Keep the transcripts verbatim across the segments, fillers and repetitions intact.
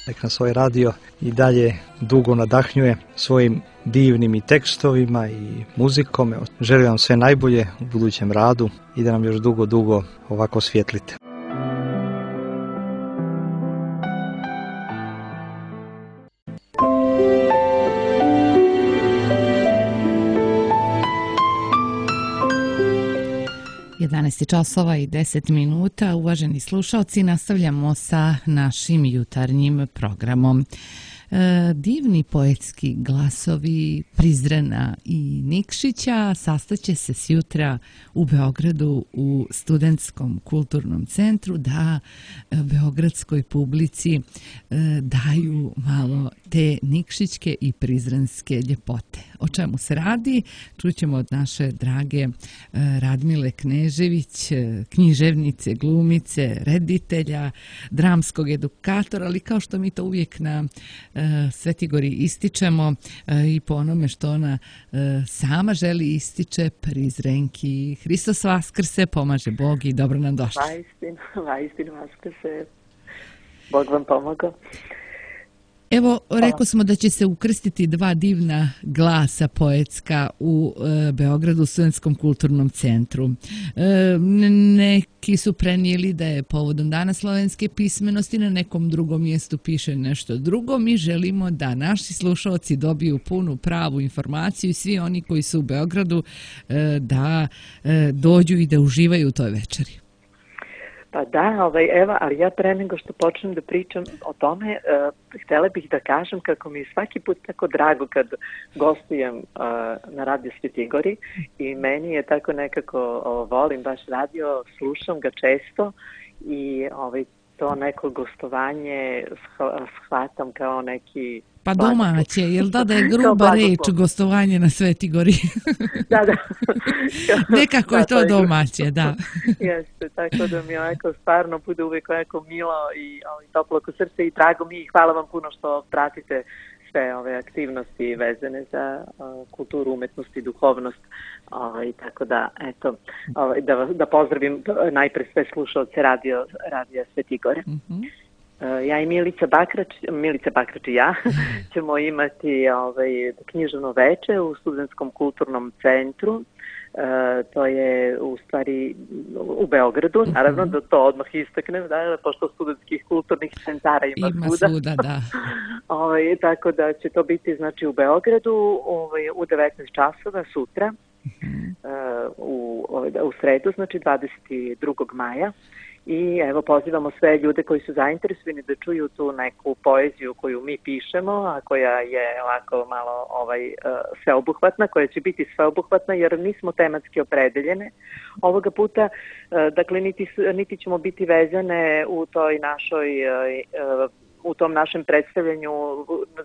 Nek nas ovaj radio i dalje dugo nadahnjuje svojim divnim i tekstovima i muzikom. Želim vam sve najbolje u budućem radu i da nam još dugo, dugo ovako svjetlite. jedanaest časova i deset minuta. Uvaženi slušalci, nastavljamo sa našim jutarnjim programom. Divni poetski glasovi Prizrena i Nikšića sastaće se sjutra u Beogradu u Studentskom kulturnom centru da beogradskoj publici daju malo te nikšićke i prizrenske ljepote. O čemu se radi? Čućemo od naše drage Radmile Knežević, književnice, glumice, reditelja, dramskog edukatora, ali kao što mi to uvijek na Sveti Gori ističemo i po onome što ona sama želi ističe, Prizrenki. Hristos Vaskrse, pomaže Bog i dobro nam došli. Vaistinu, vaistinu Vaskrse. Bog vam pomogao. Evo, rekao smo da će se ukrstiti dva divna glasa poetska u e, Beogradu u Studentskom kulturnom centru. E, neki su prenijeli da je povodom Dana slovenske pismenosti, na nekom drugom mjestu piše nešto drugo. Mi želimo da naši slušalci dobiju punu pravu informaciju i svi oni koji su u Beogradu e, da e, dođu i da uživaju u toj večeri. Pa da, ovaj, evo, ali ja pre nego što počnem da pričam o tome, uh, htjela bih da kažem kako mi je svaki put tako drago kad gostujem uh, na Radio Sveti Gori i meni je tako nekako, uh, volim baš radio, slušam ga često i ovaj, to neko gostovanje shvatam kao neki... Pa domaće, jel da da je gruba reč gostovanje na Sveti Gori? Da, da. Nekako je to domaće, da. Jeste, tako da mi ovako stvarno bude uvijek ovako milo i ovaj, toplo oko srce i drago mi i hvala vam puno što pratite sve ove aktivnosti vezane za uh, kulturu, umetnost i duhovnost. Ovaj, tako da, eto, ovaj, da, da pozdravim najpre sve slušalce radio, radio Sveti Gore. Mm-hmm. Ja i Milica Bakrač, Milica Bakrač i ja ćemo imati ovaj, književno veče u Studentskom kulturnom centru. E, to je u stvari u Beogradu, naravno da to odmah istaknem, da, pošto studentskih kulturnih centara ima, ima svuda. svuda da. ovaj, tako da će to biti znači, u Beogradu ovaj, u devetnaest časova sutra, mm-hmm. e, u, u sredu, znači dvadeset drugog maja. I evo pozivamo sve ljude koji su zainteresovani da čuju tu neku poeziju koju mi pišemo, a koja je ovako malo ovaj, sveobuhvatna, koja će biti sveobuhvatna jer nismo tematski opredeljene. Ovoga puta, dakle, niti, niti ćemo biti vezane u toj našoj u tom našem predstavljanju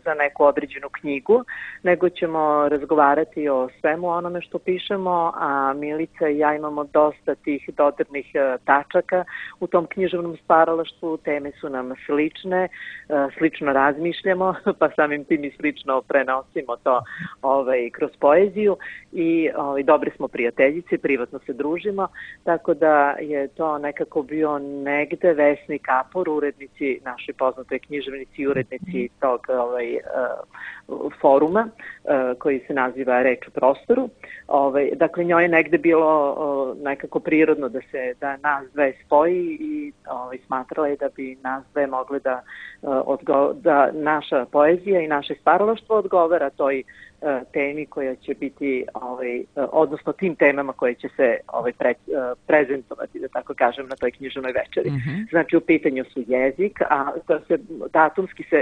za neku određenu knjigu, nego ćemo razgovarati o svemu onome što pišemo, a Milica i ja imamo dosta tih dodirnih tačaka u tom književnom stvaralaštvu, teme su nam slične, slično razmišljamo, pa samim tim i slično prenosimo to ovaj, kroz poeziju i ovaj, dobre smo prijateljice, privatno se družimo, tako da je to nekako bio negde Vesni Kapor, urednici našoj poznatoj književnici i urednici tog ovaj, uh, foruma uh, koji se naziva Reč u prostoru. Ovaj, dakle, njoj je negde bilo uh, nekako prirodno da se da nas dve spoji i ovaj, smatrala je da bi nas dve mogle da, uh, odgo- da naša poezija i naše stvaralaštvo odgovara toj uh, temi koja će biti, ovaj, uh, odnosno tim temama koje će se ovaj, pre, uh, prezentovati, da tako kažem, na toj književnoj večeri. Mm-hmm. Znači, u pitanju su jezik, a to se datumski se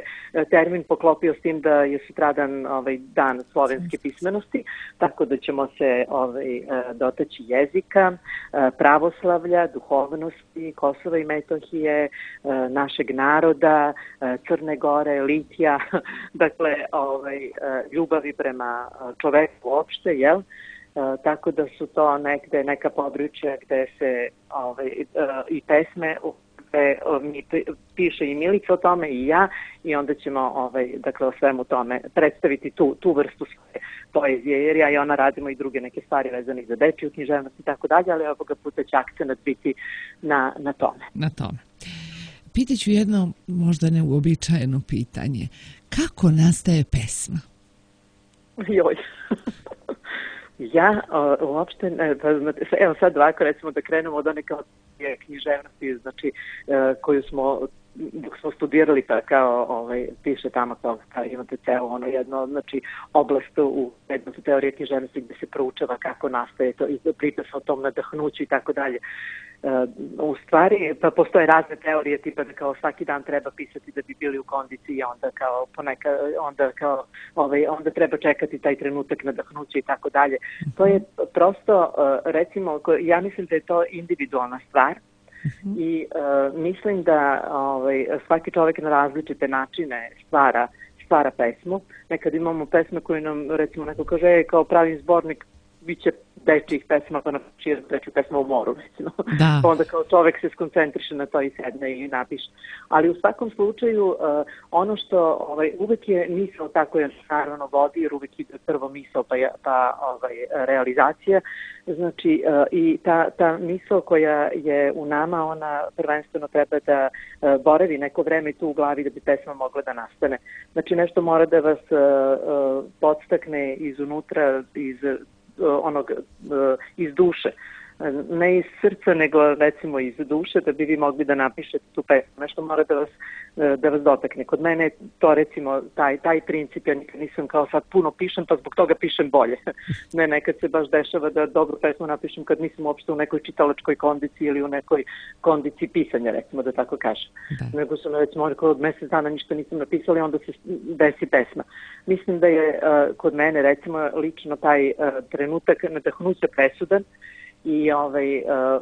termin poklopio s tim da je sutradan ovaj, dan slovenske pismenosti, tako da ćemo se ovaj, dotaći jezika, pravoslavlja, duhovnosti, Kosova i Metohije, našeg naroda, Crne Gore, litija, dakle ovaj, ljubavi prema čoveku uopšte, jel? Uh, tako da su to negde neka područja gde se ovaj, uh, i pesme gde uh, mi piše i Milica o tome i ja i onda ćemo ovaj, dakle, o svemu tome predstaviti tu, tu vrstu svoje poezije, jer ja i ona radimo i druge neke stvari vezane za dečiju književnost i tako dalje, ali ovoga puta će akcenat biti na, na tome. Na tome. pitaću jedno možda neuobičajeno pitanje. Kako nastaje pesma? Joj. Ja o, uopšte, ne, pa, evo sad ovako recimo da krenemo od one kao književnosti, znači koju smo dok smo studirali pa kao ovaj, piše tamo kao, kao imate ceo ono jedno, znači oblast u predmetu teorije književnosti gdje se proučava kako nastaje to i priča se o tom nadahnuću i tako dalje. U stvari, pa postoje razne teorije tipa da kao svaki dan treba pisati da bi bili u kondiciji, onda kao poneka, onda kao ovaj, onda treba čekati taj trenutak nadahnuća i tako dalje. To je prosto, recimo, ja mislim da je to individualna stvar. Uh-huh. I uh, mislim da ovaj, svaki čovjek na različite načine stvara, stvara pesmu. Nekad imamo pesme koje nam, recimo, neko kaže kao pravim zbornik bit će dečjih pesma, pa napiše dečju pesmu o moru, recimo. Da. Onda kao čovjek se skoncentriše na to i sedne i napiše. Ali u svakom slučaju uh, ono što ovaj, uvek je misao tako je naravno vodi, jer uvek ide prvo misao pa, pa ovaj, realizacija. Znači uh, i ta, ta misao koja je u nama, ona prvenstveno treba da uh, boravi neko vreme tu u glavi da bi pesma mogla da nastane. Znači nešto mora da vas uh, uh, podstakne izunutra, iz onog iz duše, ne iz srca nego recimo iz duše da bi vi mogli da napišete tu pesmu, nešto mora da vas, da vas dotakne. Kod mene to recimo taj, taj princip, ja nikad nisam kao sad puno pišem pa zbog toga pišem bolje. Ne, nekad se baš dešava da dobru pesmu napišem kad nisam uopšte u nekoj čitalačkoj kondiciji ili u nekoj kondiciji pisanja, recimo da tako kažem. Da. Nego sam recimo od mjesec dana ništa nisam napisala i onda se desi pesma. Mislim da je uh, kod mene recimo lično taj uh, trenutak nadahnuća presudan i ovaj, uh,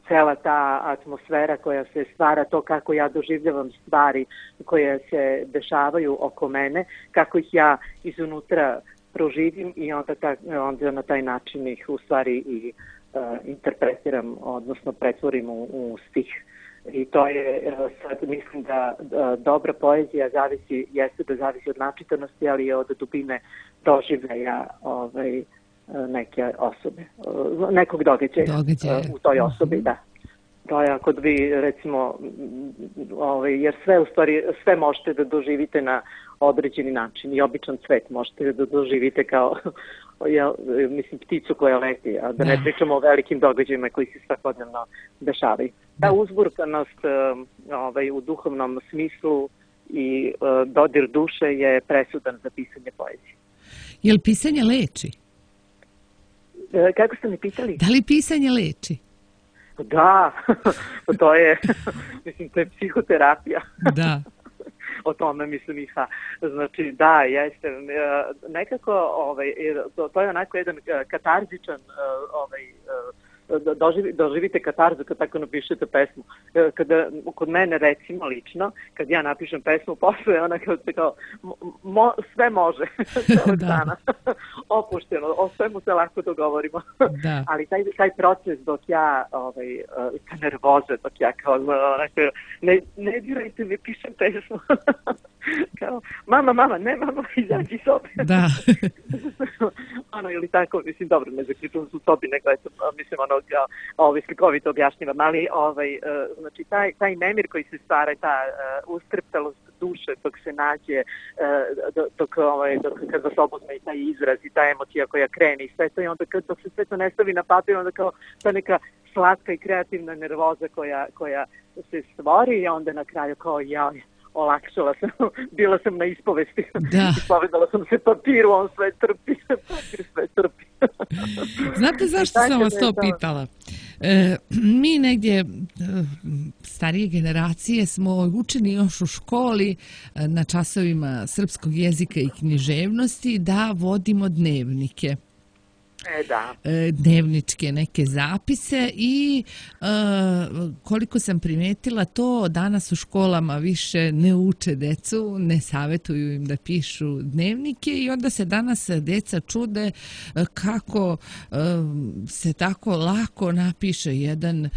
cela ta atmosfera koja se stvara, to kako ja doživljavam stvari koje se dešavaju oko mene, kako ih ja izunutra proživim i onda, ta, onda na taj način ih u stvari i uh, interpretiram, odnosno pretvorim u, u stih. I to je, sad mislim da, da dobra poezija zavisi, jeste da zavisi od načitanosti, ali je od dubine doživljaja ovaj, neke osobe, nekog događaja, događaja u toj osobi, uh-huh. Da. To je ako vi recimo, ovaj, jer sve u stvari, sve možete da doživite na određeni način i običan svet možete da doživite kao, ja, mislim, pticu koja leti, a da ne da. pričamo o velikim događajima koji se svakodnevno dešavaju. Ta uzburkanost ovaj, u duhovnom smislu i dodir duše je presudan za pisanje poezije. Je li pisanje leči? Kako ste mi pitali? Da li pisanje leči? Da, to je, mislim, to je psihoterapija. Da. O tome mislim i ha. Znači, da, jeste, nekako, ovaj, to, to je onako jedan katarzičan, ovaj, doživi, doživite katarzu kad tako napišete pesmu. Kada, kod mene recimo lično, kad ja napišem pesmu, posle ona kao, kao mo, sve može celog dana. Opušteno, o svemu se lako dogovorimo. Da. Ali taj, taj proces dok ja, ovaj, ta nervoza, dok ja kao, onako, ne, ne dirajte mi, pišem pesmu. Kao, mama, mama, ne mama, izađi iz sobe. Da. Ono, ili tako, mislim, dobro, ne zaključujem su sobi, nego, eto, mislim, ono, ja, ovaj, slikovito objašnjivam, ali, ovaj, uh, znači, taj, taj nemir koji se stvara, ta uh, ustreptalost duše dok se nađe, uh, dok, ovaj, dok kad vas obuzme i taj izraz i ta emocija koja krene i sve to, i onda kad dok se sve to ne stavi na papir, onda kao ta neka slatka i kreativna nervoza koja, koja se stvori i onda na kraju kao ja, olakšala sam, bila sam na ispovesti. Da. Ispovedala sam se papiru, on sve trpi, papir sve trpi. Znate zašto sam vas to pitala? E, mi negdje, starije generacije, smo učeni još u školi na časovima srpskog jezika i književnosti da vodimo dnevnike. E, da. Dnevničke neke zapise i e, koliko sam primetila to, danas u školama više ne uče decu, ne savjetuju im da pišu dnevnike i onda se danas deca čude kako e, se tako lako napiše jedan, e,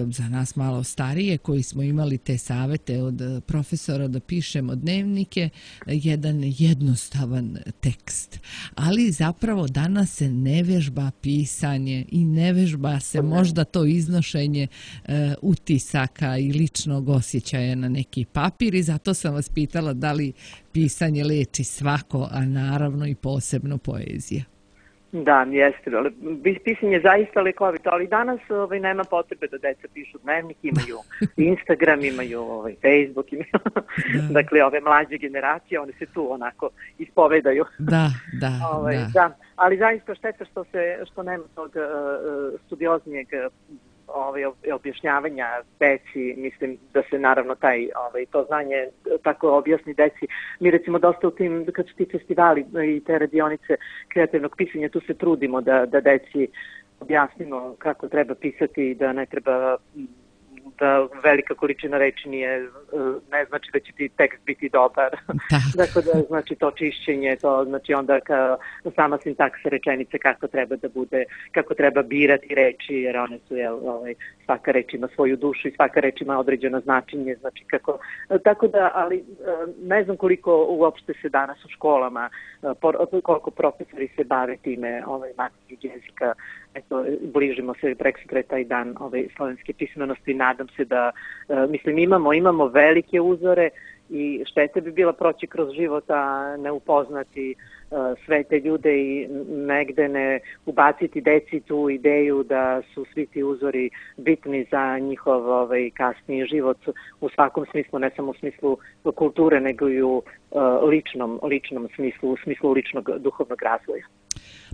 za nas malo starije koji smo imali te savjete od profesora da pišemo dnevnike, jedan jednostavan tekst. Ali zapravo danas se ne ne vežba pisanje i ne vežba se možda to iznošenje e, utisaka i ličnog osjećaja na neki papir, i zato sam vas pitala da li pisanje leči svako, a naravno i posebno poezija. Da, jeste, ali pisanje je zaista lekovito, ali danas ovaj, nema potrebe da deca pišu dnevnik, imaju Instagram, imaju ovaj, Facebook, imaju, dakle ove mlađe generacije, one se tu onako ispovedaju. Da, da, ovaj, da. da. Ali zaista šteta što, se, što nema tog uh, studioznijeg Ovaj, objašnjavanja deci, mislim da se naravno taj, ovaj, to znanje tako objasni deci. Mi recimo dosta u tim, kad su ti festivali i te radionice kreativnog pisanja, tu se trudimo da, da deci objasnimo kako treba pisati, da ne treba, da velika količina reči nije, ne znači da će ti tekst biti dobar. Dakle, da znači to čišćenje, to znači onda ka, sama sintaksa rečenice kako treba da bude, kako treba birati reči, jer one su, jel, ovaj, svaka reč ima svoju dušu i svaka reč ima određeno značenje, znači kako, tako da, ali ne znam koliko uopšte se danas u školama, koliko profesori se bave time, ovaj, maternjeg jezika. Eto, bližimo se preksutra taj dan ove slovenske pismenosti, nadam se da, mislim, imamo, imamo velike uzore i štete bi bila proći kroz život, a ne upoznati uh, sve te ljude i negde ne ubaciti deci tu ideju da su svi ti uzori bitni za njihov ovaj, kasniji život u svakom smislu, ne samo u smislu kulture, nego i u uh, ličnom, ličnom smislu, u smislu ličnog duhovnog razvoja.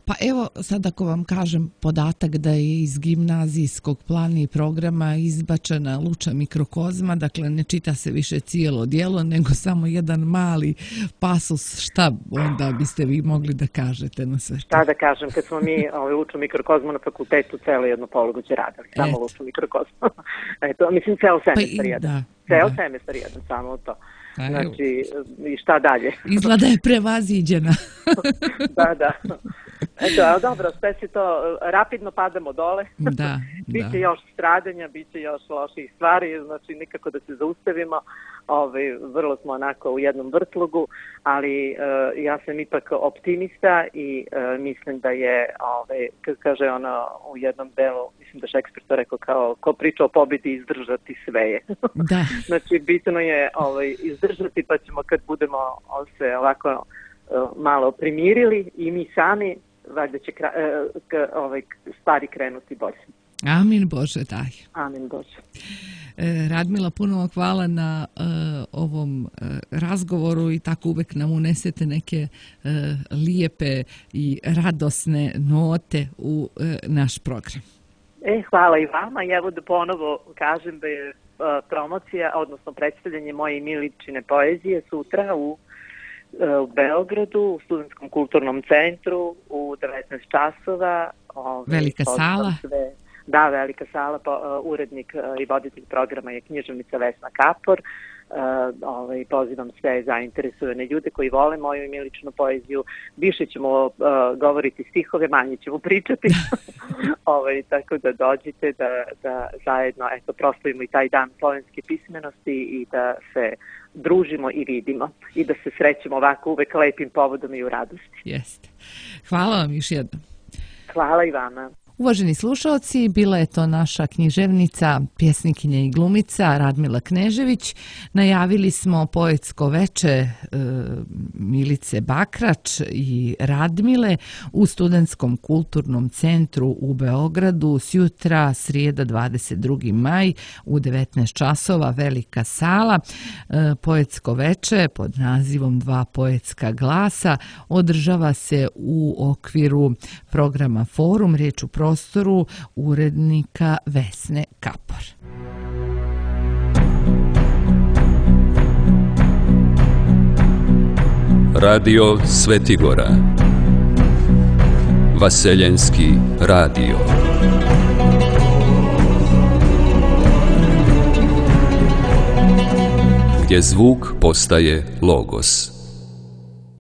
Pa evo sad ako vam kažem podatak da je iz gimnazijskog plana i programa izbačena Luča mikrokozma, dakle ne čita se više cijelo djelo, nego samo jedan mali pasus, šta onda biste vi mogli da kažete na sve? Šta da kažem, kad smo mi ovaj, Luču mikrokozmu na fakultetu celo jedno polugođe radili, samo Et. Luču mikrokozmu. Eto, mislim, ceo semestar pa jedan. Da, ceo da. semestar jedan, samo to. Znači, i šta dalje? Izgleda je prevaziđena. Da, da. Eto, ali dobro, sve se to, rapidno padamo dole. Da, biće da. još stradanja, biće još loših stvari, znači nikako da se zaustavimo. Ove, vrlo smo onako u jednom vrtlogu, ali uh, ja sam ipak optimista i uh, mislim da je, ove, kad kaže ono u jednom delu, mislim da Šekspir to rekao kao, ko priča o pobjedi izdržati sve je. Da. Znači, bitno je ove, izdržati, pa ćemo kad budemo se ovako uh, malo primirili i mi sami, valjda će kra, uh, k, ove, stvari krenuti bolje. Amin Bože, daj. Amin Bože. Radmila, puno vam hvala na uh, ovom uh, razgovoru i tako uvek nam unesete neke uh, lijepe i radosne note u uh, naš program. E, hvala i vama. I evo da ponovo kažem da je uh, promocija, odnosno predstavljanje moje Miličine poezije sutra u, uh, u Beogradu, u Studentskom kulturnom centru u devetnaest časova. Ove, Velika sala. Sve. Da, velika sala, pa, uh, urednik uh, i voditelj programa je književnica Vesna Kapor. Uh, ovaj, pozivam sve zainteresovane ljude koji vole moju i Miličinu poeziju. Više ćemo uh, govoriti stihove, manje ćemo pričati. ovaj, tako da dođite da, da zajedno eto, proslavimo i taj dan slovenske pismenosti i da se družimo i vidimo i da se srećemo ovako uvek lepim povodom i u radosti. Jeste. Hvala vam još jednom. Hvala i vama. Uvaženi slušalci, bila je to naša književnica, pjesnikinja i glumica Radmila Knežević. Najavili smo poetsko veče e, Milice Bakrač i Radmile u Studentskom kulturnom centru u Beogradu sjutra, srijeda dvadeset drugi maj u devetnaest časova, velika sala. E, poetsko veče pod nazivom Dva poetska glasa održava se u okviru programa Forum, riječ u prostoru urednika Vesne Kapor. Radio Svetigora, Vaseljenski radio. Gdje zvuk postaje logos.